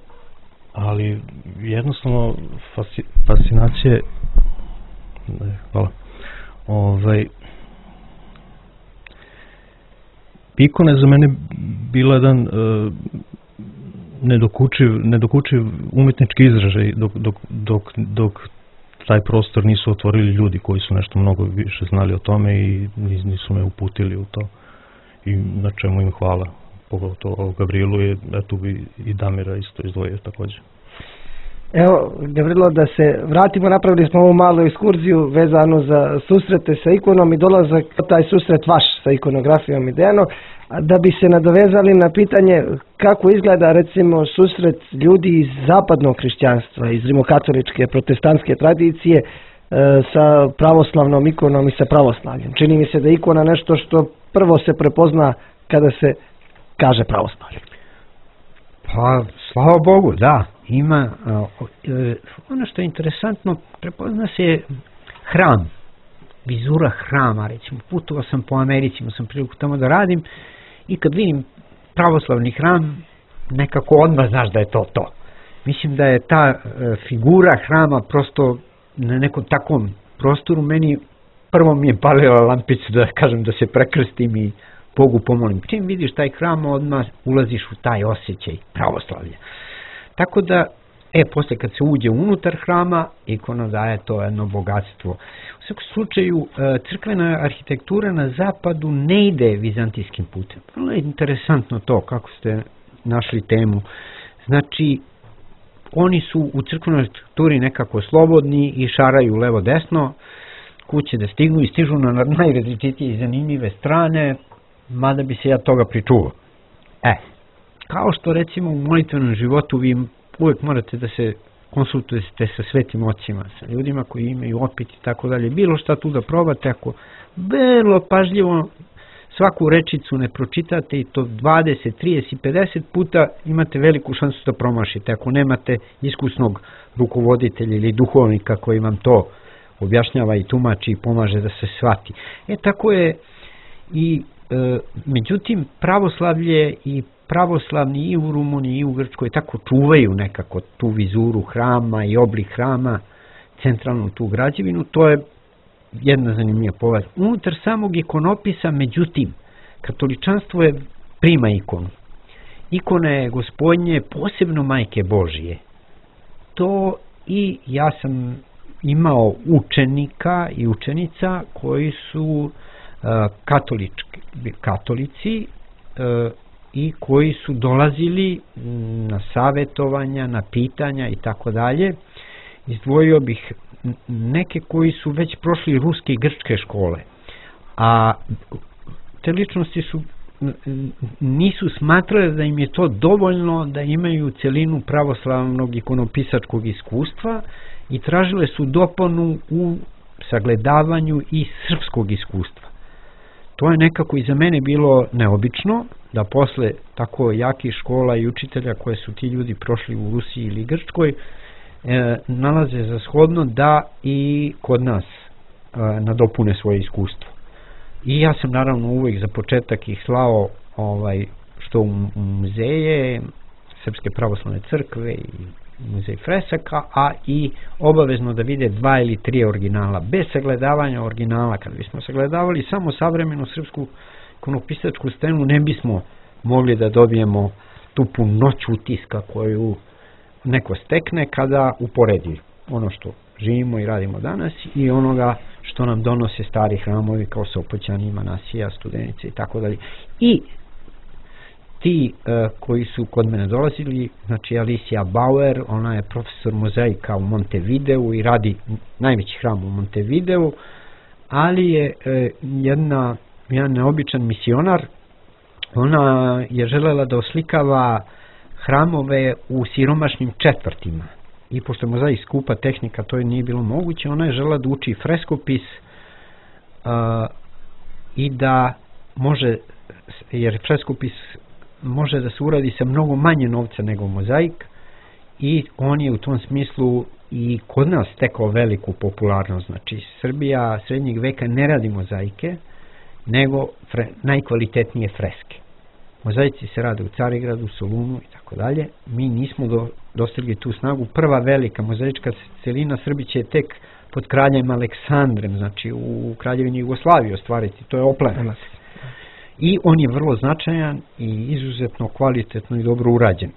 ali jednostavno fasci, fascinacije ne, hvala ovaj ikona je za mene bila jedan uh, nedokučiv, nedokučiv umetnički izražaj dok, dok, dok, dok taj prostor nisu otvorili ljudi koji su nešto mnogo više znali o tome i nisu me uputili u to i na čemu im hvala. Pogotovo o Gavrilu je, eto bi i Damira isto izdvojio također. Evo, Gavrilo, da se vratimo, napravili smo ovu malu ekskurziju vezanu za susrete sa ikonom i dolazak taj susret vaš sa ikonografijom i Dejano, da bi se nadovezali na pitanje kako izgleda recimo susret ljudi iz zapadnog hrišćanstva, iz rimokatoličke, protestantske tradicije e, sa pravoslavnom ikonom i sa pravoslavljem. Čini mi se da je ikona nešto što prvo se prepozna kada se kaže pravoslavlje. Pa, slava Bogu, da. Ima, ono što je interesantno, prepozna se hram, vizura hrama, recimo, putovao sam po Americi, imao sam priliku tamo da radim i kad vidim pravoslavni hram, nekako odmah znaš da je to to. Mislim da je ta figura hrama prosto na nekom takvom prostoru, meni prvo mi je palila lampicu da kažem da se prekrstim i Bogu pomolim. Čim vidiš taj hram, odmah ulaziš u taj osjećaj pravoslavlja. Tako da, e, posle kad se uđe unutar hrama, ikona daje to jedno bogatstvo. U svakom slučaju, crkvena arhitektura na zapadu ne ide vizantijskim putem. Vrlo je interesantno to, kako ste našli temu. Znači, oni su u crkvenoj arhitekturi nekako slobodni i šaraju levo-desno, kuće da stignu i stižu na najrazličitije i zanimljive strane, mada bi se ja toga pričuvao. E, kao što recimo u molitvenom životu vi uvijek morate da se konsultujete sa svetim ocima, sa ljudima koji imaju opit i tako dalje, bilo šta tu da probate, ako vrlo pažljivo svaku rečicu ne pročitate i to dvadeset, trideset, pedeset puta, imate veliku šansu da promašite, ako nemate iskusnog rukovoditelja ili duhovnika koji vam to objašnjava i tumači i pomaže da se shvati. E tako je i e, međutim pravoslavlje i pravoslavni i u Rumuniji i u Grčkoj tako čuvaju nekako tu vizuru hrama i oblik hrama, centralnu tu građevinu, to je jedna zanimljiva povest. Unutar samog ikonopisa, međutim, katoličanstvo je prima ikonu. Ikona je Gospodnje, posebno Majke Božije. To i ja sam imao učenika i učenica koji su uh, katolički, katolici uh, i koji su dolazili na savjetovanja, na pitanja i tako dalje. Izdvojio bih neke koji su već prošli ruske i grčke škole, a te ličnosti su nisu smatrali da im je to dovoljno da imaju celinu pravoslavnog ikonopisačkog iskustva i tražile su dopunu u sagledavanju i srpskog iskustva. To je nekako i za mene bilo neobično, da posle tako jakih škola i učitelja koje su ti ljudi prošli u Rusiji ili Grčkoj, e, nalaze za shodno da i kod nas e, nadopune svoje iskustvo. I ja sam naravno uvijek za početak ih slao ovaj, što u, u muzeje Srpske pravoslavne crkve i muzej fresaka, a i obavezno da vide dva ili tri originala. Bez sagledavanja originala, kad bismo sagledavali samo savremenu srpsku ikonopisačku stenu, ne bismo mogli da dobijemo tu punoć utiska koju neko stekne kada uporedi ono što živimo i radimo danas i onoga što nam donose stari hramovi kao Sopoćani, Manasija, Studenice i tako dalje. I ti uh, koji su kod mene dolazili, znači Alicia Bauer, ona je profesor mozaika u Montevideu i radi najveći hram u Montevideu, ali je uh, jedna, jedan neobičan misionar. Ona je želela da oslikava hramove u siromašnim četvrtima. I pošto je mozaik skupa tehnika, to je nije bilo moguće, ona je želela da uči freskopis uh, i da može, jer freskopis može da se uradi sa mnogo manje novca nego mozaik i on je u tom smislu i kod nas stekao veliku popularnost. Znači Srbija srednjeg veka ne radi mozaike, nego fre, najkvalitetnije freske. mozaici se rade u Carigradu, Solunu i tako dalje. Mi nismo do, dostigli tu snagu. Prva velika mozaička celina Srbiće je tek pod kraljem Aleksandrem, znači u kraljevini Jugoslaviji ostvariti, to je Oplenac. I on je vrlo značajan i izuzetno kvalitetno i dobro urađen.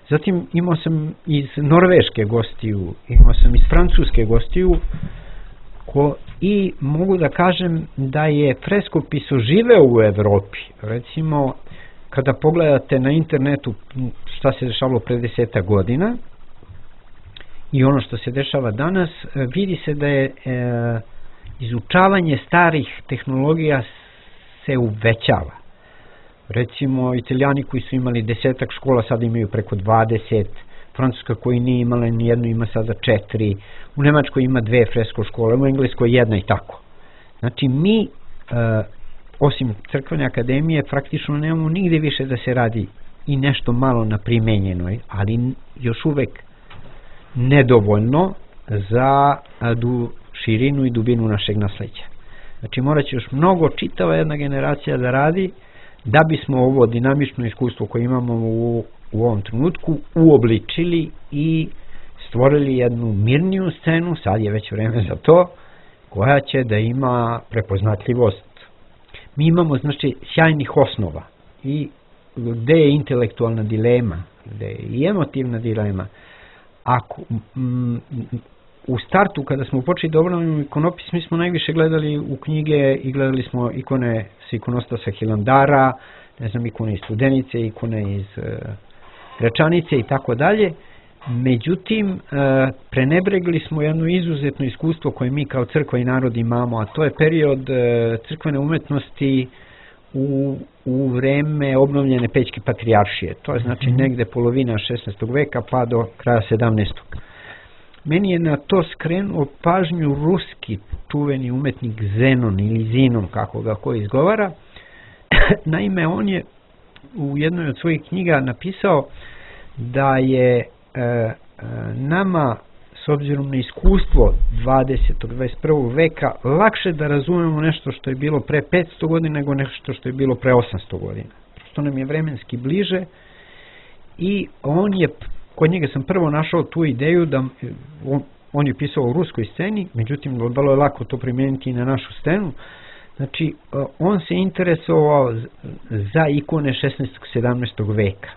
Zatim imao sam iz Norveške gostiju, imao sam iz Francuske gostiju ko, i mogu da kažem da je freskopis oživeo u Evropi. Recimo, kada pogledate na internetu šta se dešavalo pre deseta godina i ono što se dešava danas, vidi se da je e, izučavanje starih tehnologija se uvećava. Recimo, Italijani koji su imali desetak škola sad imaju preko dvadeset, Francuska koji nije imala ni jednu ima sada četiri, u Nemačkoj ima dve fresko škole, u Engleskoj jedna i tako. Znači mi, e, osim crkvene akademije, praktično nemamo nigde više da se radi i nešto malo na primenjenoj, ali još uvek nedovoljno za du, širinu i dubinu našeg nasleđa. Znači morat će još mnogo čitava jedna generacija da radi da bismo ovo dinamično iskustvo koje imamo u, u ovom trenutku uobličili i stvorili jednu mirniju scenu, sad je već vreme za to, koja će da ima prepoznatljivost. Mi imamo znači sjajnih osnova i gde je intelektualna dilema, gde je i emotivna dilema. Ako m, u startu kada smo počeli da obnavljamo ikonopis, mi smo najviše gledali u knjige i gledali smo ikone sa ikonostasa Hilandara, ne znam, ikone iz Studenice, ikone iz uh, Gračanice i tako dalje. Međutim, uh, prenebregli smo jedno izuzetno iskustvo koje mi kao crkva i narod imamo, a to je period uh, crkvene umetnosti u, u vreme obnovljene Pećke patrijaršije. To je znači negde polovina šesnaestog veka pa do kraja sedamnaestog. Meni je na to skrenuo pažnju ruski čuveni umetnik Zenon ili Zinon, kako ga ko izgovara. Naime, on je u jednoj od svojih knjiga napisao da je e, e, nama, s obzirom na iskustvo dvadesetog. dvadeset prvog veka, lakše da razumemo nešto što je bilo pre petsto godina nego nešto što je bilo pre osamsto godina. Što nam je vremenski bliže i on je kod njega sam prvo našao tu ideju da on, on je pisao u ruskoj sceni, međutim vrlo je lako to primijeniti i na našu scenu. Znači, on se interesovao za ikone šesnaestog sedamnaestog veka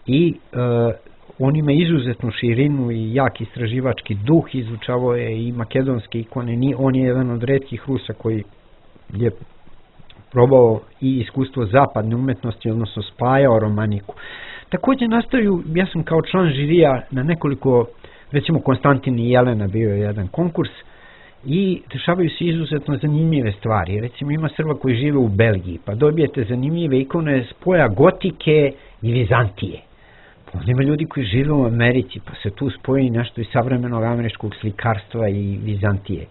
i uh, on ima izuzetnu širinu i jak istraživački duh, izučavao je i makedonske ikone, ni, on je jedan od retkih Rusa koji je probao i iskustvo zapadne umetnosti, odnosno spajao romaniku. Također nastaju, ja sam kao član žirija na nekoliko, recimo Konstantin i Jelena bio je jedan konkurs i dešavaju se izuzetno zanimljive stvari. Recimo ima Srba koji žive u Belgiji, pa dobijete zanimljive ikone spoja gotike i Vizantije. Onda ima ljudi koji žive u Americi, pa se tu spoji nešto iz savremenog američkog slikarstva i Vizantije.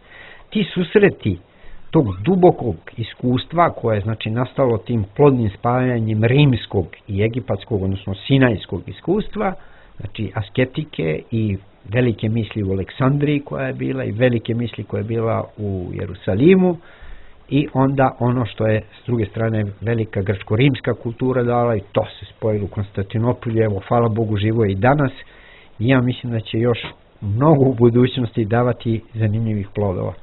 Ti susreti tog dubokog iskustva koje je znači nastalo tim plodnim spajanjem rimskog i egipatskog, odnosno sinajskog iskustva, znači asketike i velike misli u Aleksandriji koja je bila i velike misli koja je bila u Jerusalimu i onda ono što je s druge strane velika grčko-rimska kultura dala i to se spojilo u Konstantinopolju, evo hvala Bogu živo je i danas i ja mislim da će još mnogo u budućnosti davati zanimljivih plodova.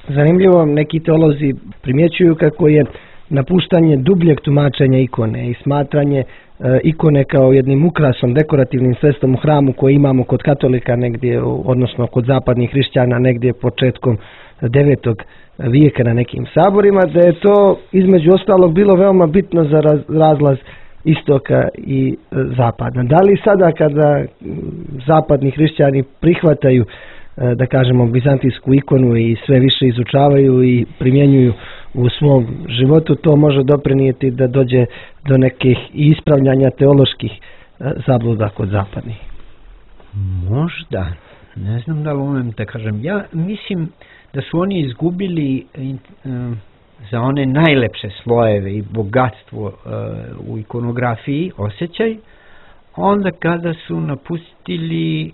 Zanimljivo, neki teolozi primjećuju kako je napuštanje dubljeg tumačenja ikone i smatranje e, ikone kao jednim ukrasom, dekorativnim sredstvom u hramu koje imamo kod katolika negdje, odnosno kod zapadnih hrišćana negdje početkom devetog vijeka na nekim saborima, da je to između ostalog bilo veoma bitno za raz, razlaz istoka i e, zapada. Da li sada kada zapadni hrišćani prihvataju da kažemo bizantijsku ikonu i sve više izučavaju i primjenjuju u svom životu, to može doprinijeti da dođe do nekih ispravljanja teoloških zabluda kod zapadnih? Možda, ne znam da li umem da kažem. Ja mislim da su oni izgubili za one najlepše slojeve i bogatstvo u ikonografiji osjećaj, onda kada su napustili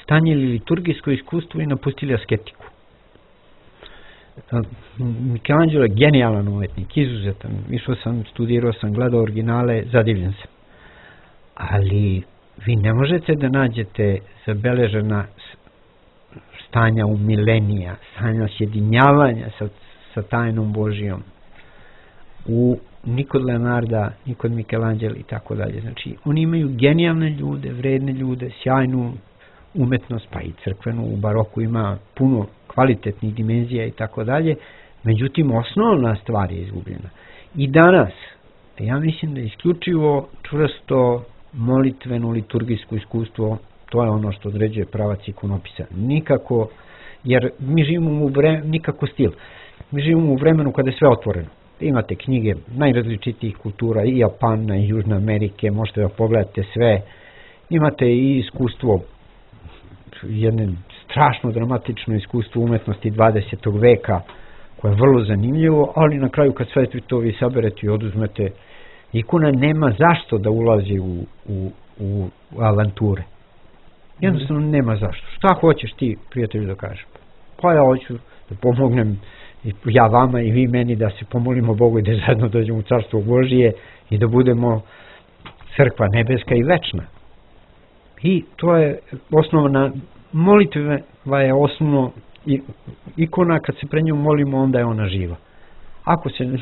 stanjili liturgijsko iskustvo i napustili asketiku. Michelangelo je genijalan umetnik, izuzetan. Išao sam, studirao sam, gledao originale, zadivljen sam. Ali vi ne možete da nađete zabeležena stanja u milenija, stanja sjedinjavanja sa, sa tajnom Božijom u ni kod Leonarda, ni kod Michelangela i tako dalje. Znači, oni imaju genijalne ljude, vredne ljude, sjajnu umetnost, pa i crkvenu, u baroku ima puno kvalitetnih dimenzija i tako dalje, međutim, osnovna stvar je izgubljena. I danas, ja mislim da je isključivo čvrsto molitveno liturgijsko iskustvo, to je ono što određuje pravac ikonopisa. Nikako, jer mi živimo u vremenu, nikako stil, mi živimo u vremenu kada je sve otvoreno. Imate knjige najrazličitijih kultura, i Japana, i Južne Amerike, možete da pogledate sve. Imate i iskustvo, jedno strašno dramatično iskustvo umetnosti dvadesetog veka, koje je vrlo zanimljivo, ali na kraju kad sve to vi saberete i oduzmete, ikona nema zašto da ulazi u, u, u avanture. Jednostavno nema zašto. Šta hoćeš ti, prijatelju, da kažeš? Pa ja hoću da pomognem, ja vama i vi meni, da se pomolimo Bogu i da zajedno dođemo u Carstvo Božije i da budemo crkva nebeska i večna. I to je osnovna molitva, je osnovno ikona, kad se pre njom molimo, onda je ona živa. Ako se,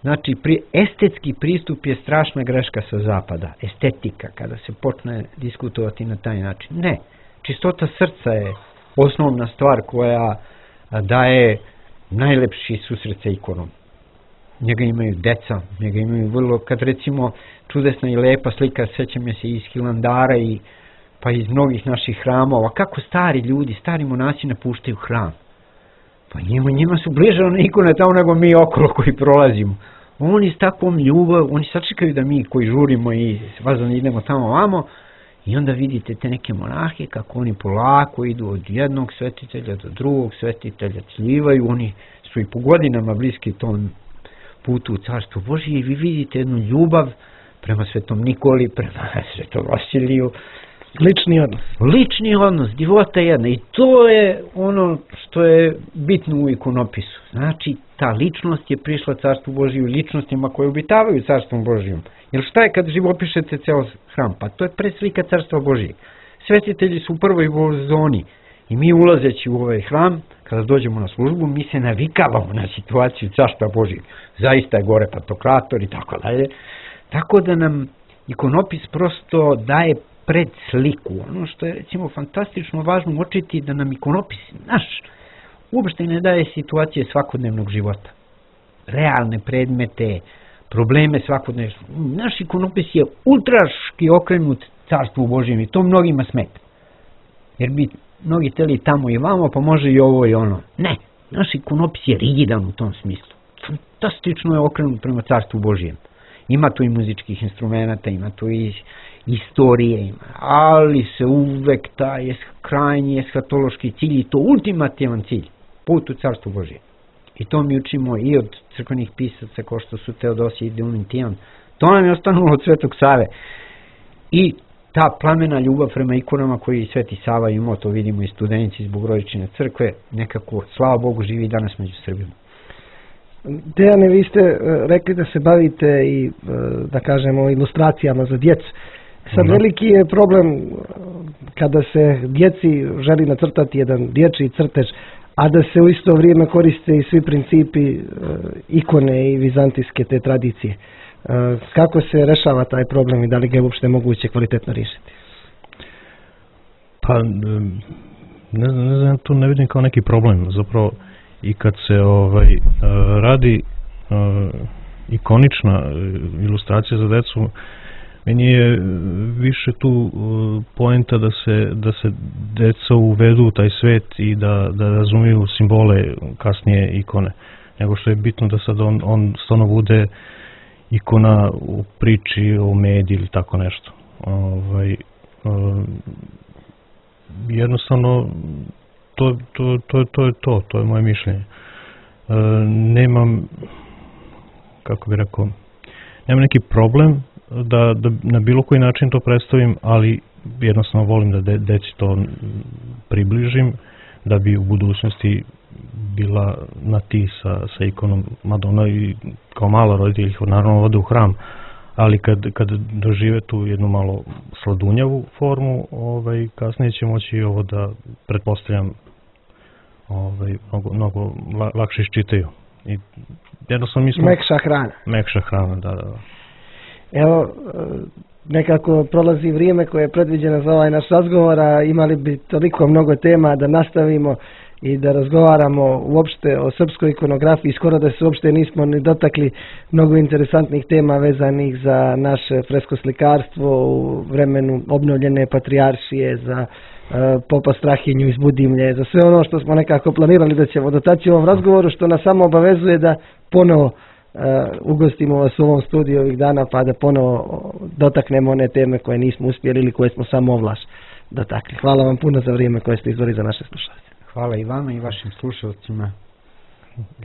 znači, pri, estetski pristup je strašna greška sa zapada, estetika, kada se počne diskutovati na taj način. Ne, čistota srca je osnovna stvar koja daje najlepši susret sa ikonom. Njega imaju deca, njega imaju vrlo, kad recimo čudesna i lepa slika, sećam je se iz Hilandara i pa iz mnogih naših hramova, kako stari ljudi, stari monasi napuštaju hram. Pa njima, njima su bliže one ikone tamo nego mi okolo koji prolazimo. Oni s takvom ljubav, oni sačekaju da mi koji žurimo i vazano idemo tamo vamo, i onda vidite te neke monahe kako oni polako idu od jednog svetitelja do drugog svetitelja, cljivaju, oni su i po godinama bliski tom putu u Carstvo Božije i vi vidite jednu ljubav prema Svetom Nikoli, prema Svetom Vasiliju. Lični odnos. Lični odnos, divota jedna. I to je ono što je bitno u ikonopisu. Znači, ta ličnost je prišla Carstvu Božiju, ličnostima koje obitavaju Carstvom Božijom. Jer šta je kad živopišete ceo hram? Pa to je preslika Carstva Božijeg. Svetitelji su u prvoj zoni i mi ulazeći u ovaj hram, kada dođemo na službu, mi se navikavamo na situaciju Carstva Božijeg. Zaista je gore Pantokrator i tako dalje. Tako da nam ikonopis prosto daje pred sliku. Ono što je recimo fantastično važno uočiti da nam ikonopis naš uopšte ne daje situacije svakodnevnog života. Realne predmete, probleme svakodnevnog. Naš ikonopis je ultraški okrenut Carstvu Božijem i to mnogima smeta. Jer bi mnogi teli tamo i vamo, pa može i ovo i ono. Ne, naš ikonopis je rigidan u tom smislu. Fantastično je okrenut prema Carstvu Božijem. Ima tu i muzičkih instrumenta, ima tu i istorije, ima, ali se uvek taj krajnji eshatološki cilj i to ultimativan cilj, put u Carstvo Božije. I to mi učimo i od crkvenih pisaca kao što su Teodosije i Diomitijan. To nam je ostanulo od Svetog Save. I ta plamena ljubav prema ikonama koji Sveti Sava imao, to vidimo i studenici iz Bogorodičine crkve, nekako, slava Bogu, živi danas među Srbima. Dejane, vi ste rekli da se bavite i, da kažemo, ilustracijama za djecu. Sad veliki je problem kada se djeci želi nacrtati jedan dječji crtež, a da se u isto vrijeme koriste i svi principi ikone i vizantijske te tradicije. Kako se rešava taj problem i da li ga je uopšte moguće kvalitetno riješiti? Pa, ne znam, ne znam, tu ne vidim kao neki problem. Zapravo, i kad se ovaj radi ikonična ilustracija za decu, meni je više tu poenta da se, da se deca uvedu u taj svet i da, da razumiju simbole kasnije ikone, nego što je bitno da sad on, on stvarno bude ikona u priči o Medi ili tako nešto. Ovaj, jednostavno to, to, to, to je to, to je moje mišljenje. Nemam, kako bih rekao, nemam neki problem da, da na bilo koji način to predstavim, ali jednostavno volim da de, deci to približim, da bi u budućnosti bila na ti sa, sa ikonom Madonna i kao mala roditelj ih naravno vode u hram, ali kad, kad dožive tu jednu malo sladunjavu formu, ovaj, kasnije će moći ovo da, pretpostavljam, ovaj, mnogo, mnogo lakše iščitaju. I jednostavno mi smo... Mekša hrana. Mekša hrana, da, da. Evo, nekako prolazi vrijeme koje je predviđeno za ovaj naš razgovor, a imali bi toliko mnogo tema da nastavimo i da razgovaramo uopšte o srpskoj ikonografiji, skoro da se uopšte nismo ni dotakli mnogo interesantnih tema vezanih za naše freskoslikarstvo u vremenu obnovljene patrijaršije, za uh, popa Strahinju iz Budimlje, za sve ono što smo nekako planirali da ćemo dotaći u ovom razgovoru, što nas samo obavezuje da ponovo uh, ugostimo vas u ovom studiju ovih dana, pa da ponovo dotaknemo one teme koje nismo uspjeli ili koje smo samo ovlaš dotakli. Hvala vam puno za vrijeme koje ste izdvojili za naše slušalce. Hvala i vama i vašim slušalcima.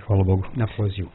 Hvala Bogu. Na pozivu.